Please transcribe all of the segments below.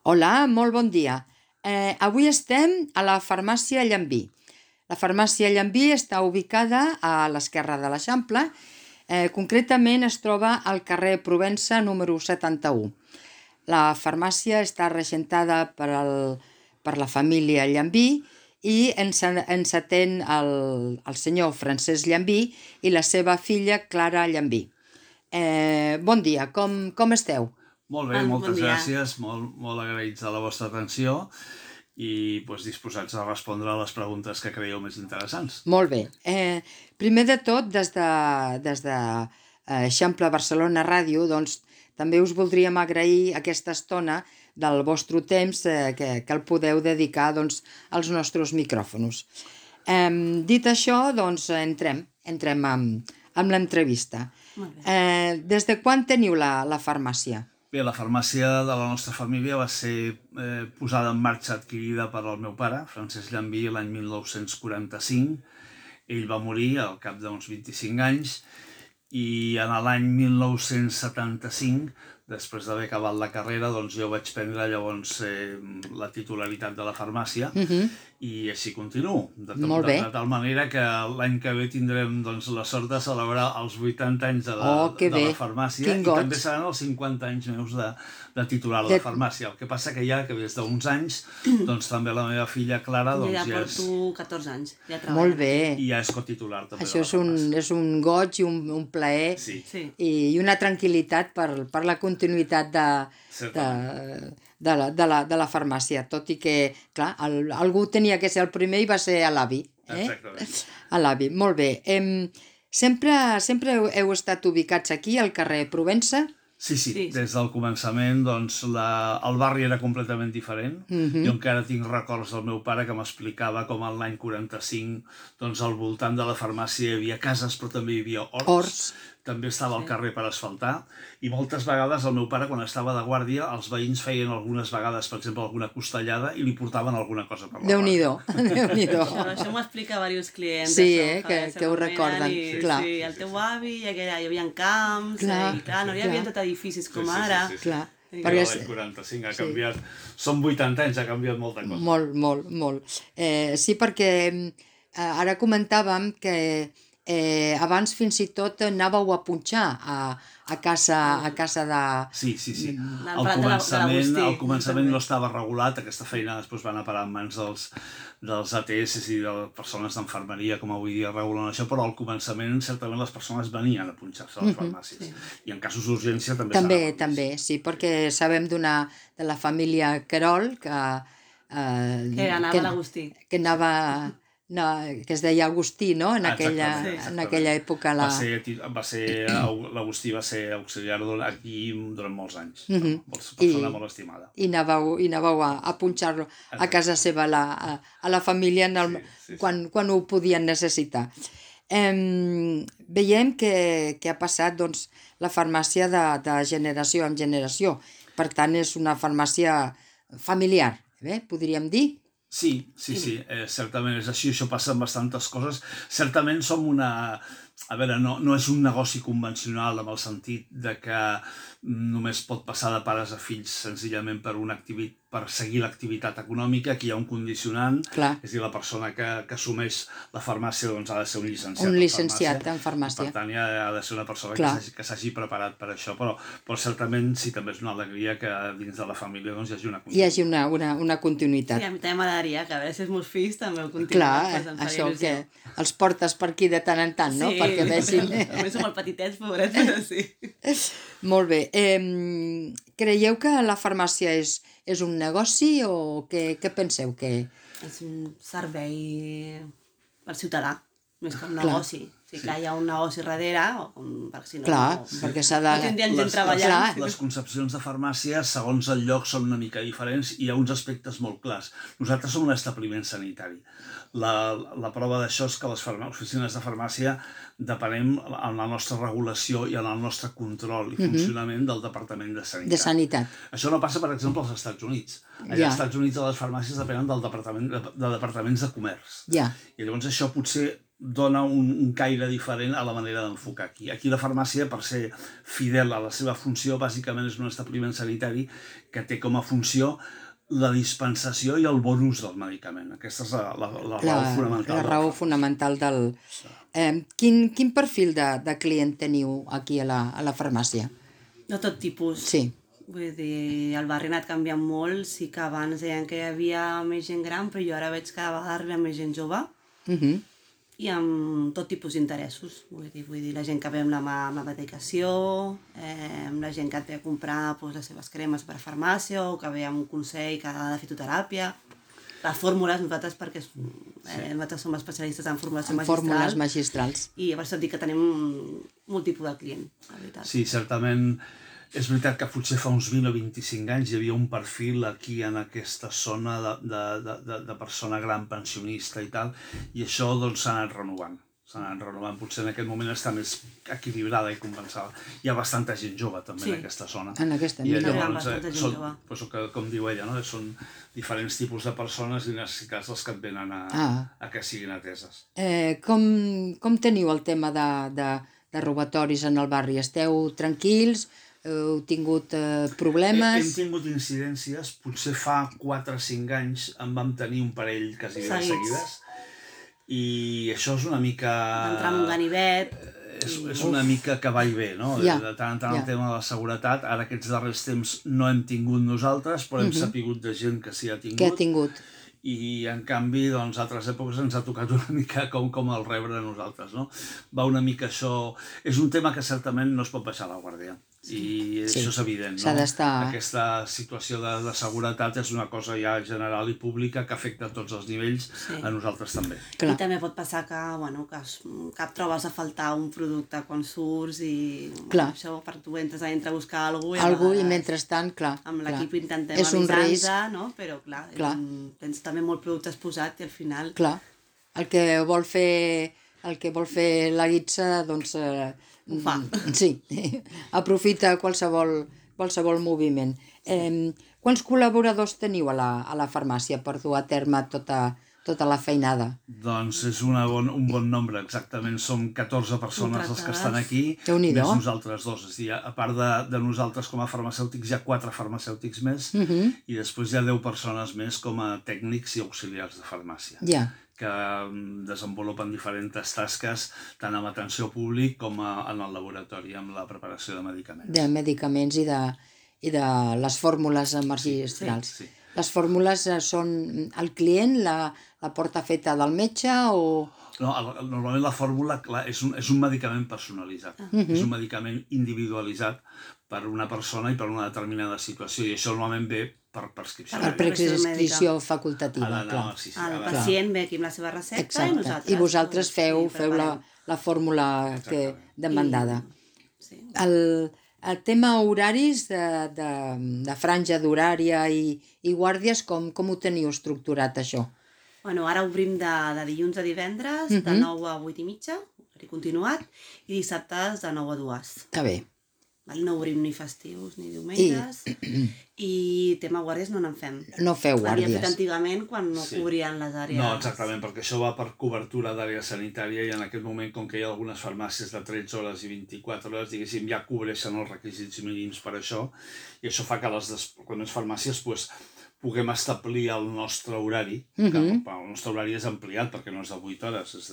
Hola, molt bon dia. Avui estem a la farmàcia Llambí. La farmàcia Llambí està ubicada a l'esquerra de l'Eixample. Concretament es troba al carrer Provença número 71. La farmàcia està regentada per la família Llambí i ens atén el senyor Francesc Llambí i la seva filla Clara Llambí. Bon dia, com esteu? Molt bé, moltes gràcies, molt agraïts de la vostra atenció i disposats a respondre a les preguntes que creieu més interessants. Molt bé. Primer de tot, des de Eixample Barcelona Ràdio, doncs, també us voldríem agrair aquesta estona del vostre temps que el podeu dedicar als nostres micròfons. Dit això, doncs, entrem amb l'entrevista. Des de quan teniu la farmàcia? Bé, la farmàcia de la nostra família va ser posada en marxa, adquirida per el meu pare, Francesc Llambí, l'any 1945. Ell va morir al cap d'uns 25 anys i en l'any 1975, després d'haver acabat la carrera, jo vaig prendre llavors la titularitat de la farmàcia i així continuo. De tal manera que l'any que ve tindrem la sort de celebrar els 80 anys de la farmàcia i també seran els 50 anys meus de titular de la farmàcia. El que passa que ja que des d'uns anys també la meva filla Clara ja porto 14 anys. Molt bé. I ja és cotitular també de la farmàcia. Això és un goig i un plaer i una tranquil·litat per la continuïtat de la farmàcia, tot i que, clar, algú tenia que ser el primer i va ser l'avi. Exactament. A l'avi, molt bé. Sempre heu estat ubicats aquí, al carrer Provença? Sí. Des del començament el barri era completament diferent. Jo encara tinc records del meu pare que m'explicava com l'any 45 al voltant de la farmàcia hi havia cases però també hi havia horts. També estava al carrer per asfaltar i moltes vegades el meu pare, quan estava de guàrdia, els veïns feien algunes vegades, per exemple, alguna costellada i li portaven alguna cosa per la Déu-n'hi-do. Això m'ho explica diversos clients. Sí, que ho recorden. Sí, el teu avi, hi havia camps, i clar, no hi havia tot edificis com ara. Però l'any 45 ha canviat, són 80 anys, ha canviat molta cosa. Molt. Sí, perquè ara comentàvem que abans fins i tot anàveu a punxar a casa de... Sí. Al començament no estava regulat, aquesta feina després va anar a parar en mans dels ATS i de persones d'enfermeria, com avui dia regulen això, però al començament certament les persones venien a punxar-se a les farmàcies. I en casos d'urgència també També, sí, perquè sabem de la família Querol que anava a l'Agustí. Que es deia Agustí, no? En aquella època. L'Agustí va ser auxiliar aquí durant molts anys. Persona molt estimada. I anàveu a punxar-lo a casa seva, a la família, quan ho podien necessitar. Veiem que ha passat la farmàcia de generació en generació. Per tant, és una farmàcia familiar, podríem dir. Sí, certament és així, això passa amb bastantes coses. Certament som no és un negoci convencional en el sentit de que només pot passar de pares a fills senzillament per seguir l'activitat econòmica. Aquí hi ha un condicionant, és a dir, la persona que assumeix la farmàcia ha de ser un llicenciat. Un llicenciat en farmàcia. Per tant, ha de ser una persona que s'hagi preparat per això, però certament sí, també és una alegria que dins de la família hi hagi una continuïtat. Sí, a mi també m'agradaria que a veure si els meus fills també ho continuïn. Clar, això que els portes per aquí de tant en tant, no? Perquè vegin... També som molt petitets, pobrets, però sí. Molt bé. Creieu que la farmàcia és un negoci o què penseu que... És un servei per ciutadà, més que un negoci. Sí, clar, hi ha un negoci darrere, perquè si no... Clar, perquè s'ha de... No tindrien gent treballant. Les concepcions de farmàcia, segons el lloc, són una mica diferents i hi ha uns aspectes molt clars. Nosaltres som un establiment sanitari. La prova d'això és que les oficines de farmàcia depenem en la nostra regulació i en el nostre control i funcionament del Departament de Sanitat. Això no passa, per exemple, als Estats Units. Als Estats Units les farmàcies depenen de departaments de comerç. I llavors això potser dona un caire diferent a la manera d'enfocar aquí. Aquí la farmàcia, per ser fidel a la seva funció, bàsicament és un establiment sanitari que té com a funció la dispensació i el bon ús del medicament. Aquesta és la raó fonamental. La raó fonamental del... Quin perfil de client teniu aquí a la farmàcia? De tot tipus. Sí. Vull dir, el barri ha anat canviant molt. Sí que abans deien que hi havia més gent gran, però jo ara veig que cada vegada arriba més gent jove i amb tot tipus d'interessos. Vull dir, la gent que ve amb la medicació, la gent que et ve a comprar les seves cremes per a farmàcia o que ve amb un consell que ha de fitoteràpia. Les fórmules, nosaltres, perquè nosaltres som especialistes en fórmules magistrals. I per això et dic que tenim molt tipus de client, la veritat. Sí, certament. És veritat que potser fa uns 20 o 25 anys hi havia un perfil aquí en aquesta zona de persona gran pensionista i tal, i això doncs s'ha anat renovant. Potser en aquest moment està més equilibrada i compensada. Hi ha bastanta gent jove també en aquesta zona. En aquesta i llavors són, com diu ella, no? Són diferents tipus de persones i necessitats els que et venen a que siguin ateses. Com teniu el tema de robatoris en el barri? Esteu tranquils? Heu tingut problemes? Hem tingut incidències, potser fa 4 o 5 anys en vam tenir un parell quasi de seguides, i això és una mica... D'entrar en un ganivet... És una mica que va i ve, no? De tant en tant el tema de la seguretat. Ara aquests darrers temps no hem tingut nosaltres, però hem sapigut de gent que s'hi ha tingut. Que ha tingut. I en canvi, doncs, altres èpoques ens ha tocat una mica com el rebre a nosaltres, no? Va una mica això... És un tema que certament no es pot baixar la guàrdia. I això és evident, no? S'ha d'estar... Aquesta situació de seguretat és una cosa ja general i pública que afecta a tots els nivells, a nosaltres també. I també pot passar que et trobes a faltar un producte quan surts i això per tu entres a buscar algú i mentrestant, amb l'equip intentem avisar-te, no? Però clar, tens també molts productes posats i al final... Clar, el que vol fer la guitza, doncs... Ho fa. Sí, aprofita qualsevol moviment. Quants col·laboradors teniu a la farmàcia per dur a terme tota la feinada? Doncs és un bon nombre, exactament. Som 14 persones els que estan aquí, més nosaltres dos. És a dir, a part de nosaltres com a farmacèutics, hi ha 4 farmacèutics més i després hi ha 10 persones més com a tècnics i auxiliars de farmàcia. Que desenvolupen diferents tasques tant amb atenció públic com en el laboratori, amb la preparació de medicaments. De medicaments i de les fórmules magistrals. Sí. Les fórmules són el client, la porta feta del metge o... No, normalment la fórmula és un medicament personalitzat, és un medicament individualitzat per una persona i per una determinada situació, i això normalment ve per prescripció. Per prescripció facultativa, clar. El pacient ve aquí amb la seva recepta i nosaltres... I vosaltres feu la fórmula demandada. El tema horaris de franja d'horària i guàrdies, com ho teniu estructurat, això? Bueno, ara obrim de dilluns a divendres, de 9 a 8 i mitja, horari continuat, i dissabtes de 9 a 2. Està bé. No obrim ni festius ni diumenges, i tema guàrdies no n'en fem. No feu guàrdies. L'havíem fet antigament quan no cobrien les àrees. No, exactament, perquè això va per cobertura d'àrea sanitària i en aquest moment, com que hi ha algunes farmàcies de 13 hores i 24 hores, diguéssim, ja cobreixen els requisits mínims per això, i això fa que les farmàcies puguem establir el nostre horari, que el nostre horari és ampliat perquè no és de 8 hores, és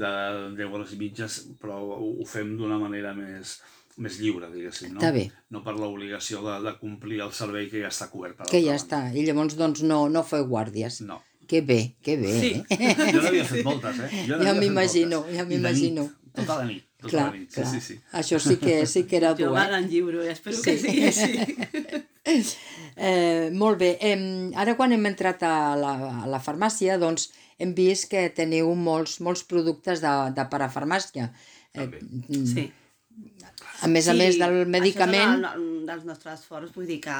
de 10 hores i mitges, però ho fem d'una manera més lliure, diguéssim, no? Està bé. No per l'obligació de complir el servei que ja està cobert per que ja està, i llavors doncs no feu guàrdies. No. Que bé, Sí. Jo n'havia fet moltes, Ja m'imagino. Tota la nit. Clar. Sí. Això sí que era dur. Jo me'n lliuro i espero que sigui així. Molt bé. Ara quan hem entrat a la farmàcia, doncs hem vist que teniu molts productes de parafarmàcia. Sí. A més del medicament... Això és un dels nostres forts, vull dir que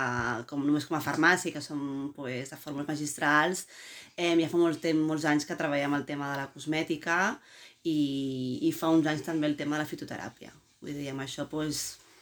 només com a farmàcia, que som de fórmules magistrals, ja fa molts anys que treballem el tema de la cosmètica i fa uns anys també el tema de la fitoteràpia. Vull dir, amb això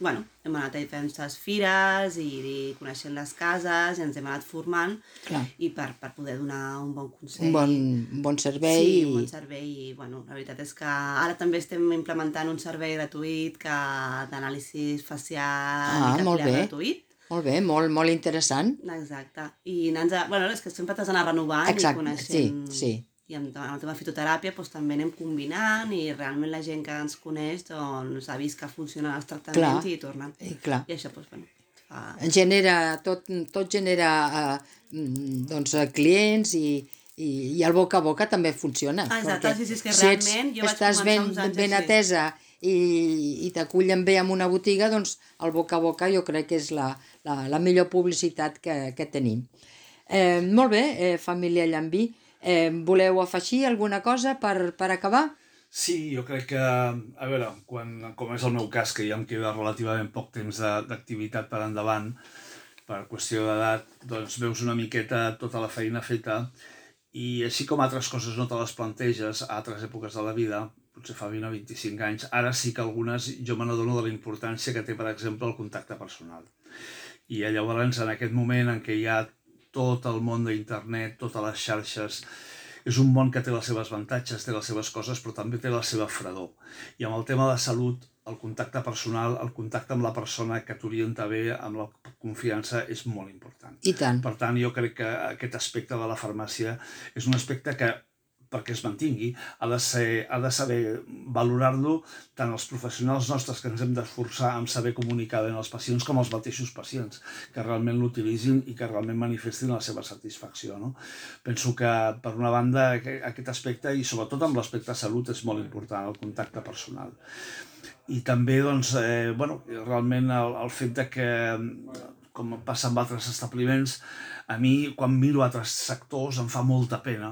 bueno, hem anat a diferents fires i coneixent les cases i ens hem anat formant Clar. i per poder donar un bon consell. Un bon servei. Sí, un bon servei i, bueno, la veritat és que ara també estem implementant un servei gratuït d'anàlisi facial i Molt capil·lar bé. gratuït. Molt bé, molt interessant. Exacte. I bueno, és que sempre t'has d'anar renovant i coneixent... sí. I amb el tema fitoteràpia doncs, també anem combinant i realment la gent que ens coneix doncs, ha vist que funcionen els tractaments i tornen. Clar. I això doncs, bueno, fa... Tot genera doncs, clients i el boca a boca també funciona. Exacte, sí, és que realment jo vaig estàs començar uns anys ben així. atesa i t'acullen bé en una botiga, doncs el boca a boca jo crec que és la millor publicitat que tenim. Molt bé, família Llambí. Voleu afegir alguna cosa per acabar? Sí, jo crec que, a veure, com és el meu cas, que ja em queda relativament poc temps d'activitat per endavant, per qüestió d'edat, doncs veus una miqueta tota la feina feta i així com altres coses no te les planteges a altres èpoques de la vida, potser fa 20 o 25 anys, ara sí que algunes jo me n'adono de la importància que té, per exemple, el contacte personal. I llavors, en aquest moment en què hi ha tot el món d'internet, totes les xarxes, és un món que té les seves avantatges, té les seves coses, però també té la seva fredor. I amb el tema de salut, el contacte personal, el contacte amb la persona que t'orienta bé, amb la confiança, és molt important. I tant. Per tant, jo crec que aquest aspecte de la farmàcia és un aspecte que, perquè es mantingui, ha de saber valorar-lo tant els professionals nostres que ens hem d'esforçar en saber comunicar bé als pacients com els mateixos pacients que realment l'utilitzin i que realment manifestin la seva satisfacció. No? Penso que, per una banda, aquest aspecte, i sobretot amb l'aspecte de salut, és molt important, el contacte personal. I també, doncs, realment el fet de que, com passa amb altres establiments, a mi, quan miro altres sectors, em fa molta pena,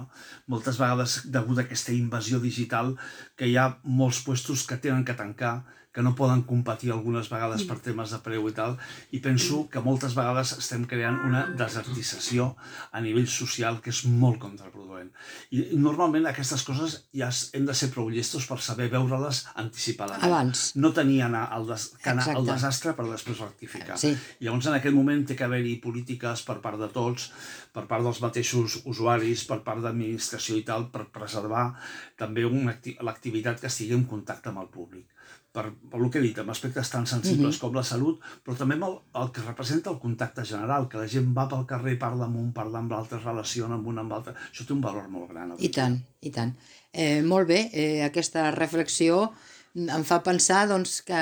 moltes vegades degut a aquesta invasió digital, que hi ha molts puestos que tenen que tancar, que no poden competir algunes vegades per temes de preu i tal, i penso que moltes vegades estem creant una desertització a nivell social que és molt contraproduent. I normalment aquestes coses ja hem de ser prou llestos per saber veure-les anticipadament. Abans. No tenir anar al desastre per després rectificar. Sí. Llavors, en aquest moment té que haver-hi polítiques per part de tots, per part dels mateixos usuaris, per part d'administració i tal, per preservar també l'activitat que estigui en contacte amb el públic. Per el que he dit, amb aspectes tan sensibles com la salut, però també amb el que representa el contacte general, que la gent va pel carrer, parla amb un, parla amb l'altre, es relaciona amb un amb l'altre. Això té un valor molt gran. I tant, i tant. Molt bé, aquesta reflexió em fa pensar doncs, que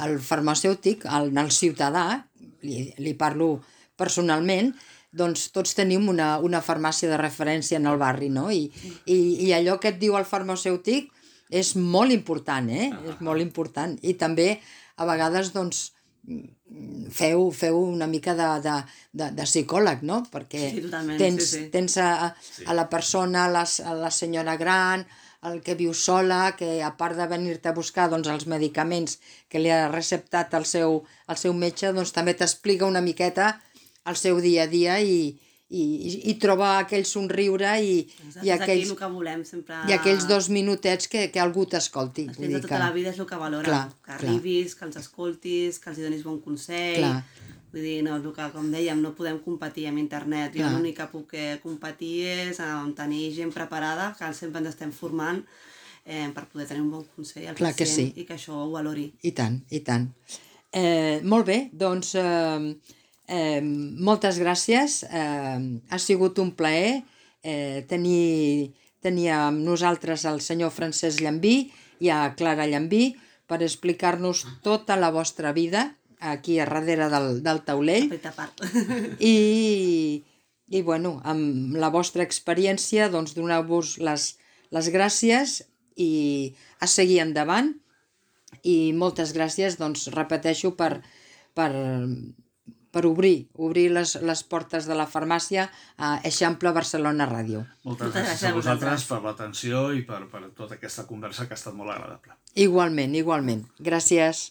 el farmacèutic, el ciutadà, li parlo personalment, doncs tots tenim una farmàcia de referència en el barri, no? I allò que et diu el farmacèutic és molt important, és molt important. I també, a vegades, doncs, feu una mica de psicòleg, no? Perquè tens a la persona, a la senyora gran, el que viu sola, que a part de venir-te a buscar doncs, els medicaments que li ha receptat el seu metge, doncs també t'explica una miqueta el seu dia a dia i troba aquell somriure i aquells, el que volem, sempre... i aquells 2 minutets que algú t'escolti. Els clients de tota la vida és el que valoren, que arribis, que els escoltis, que els donis bon consell. Vull dir, no, com dèiem, no podem competir amb internet. Jo l'únic que puc competir és tenir gent preparada, que sempre ens estem formant per poder tenir un bon consell al pacient i que això ho valori. I tant, i tant. Molt bé, doncs... moltes gràcies, ha sigut un plaer tenir amb nosaltres el senyor Francesc Llambí i a Clara Llambí per explicar-nos tota la vostra vida aquí a darrere del taulell i bueno, amb la vostra experiència doncs donar-vos les gràcies i a seguir endavant i moltes gràcies, doncs repeteixo per obrir les portes de la farmàcia a Eixample Barcelona Ràdio. Moltes gràcies a vosaltres per l'atenció i per tota aquesta conversa que ha estat molt agradable. Igualment. Gràcies.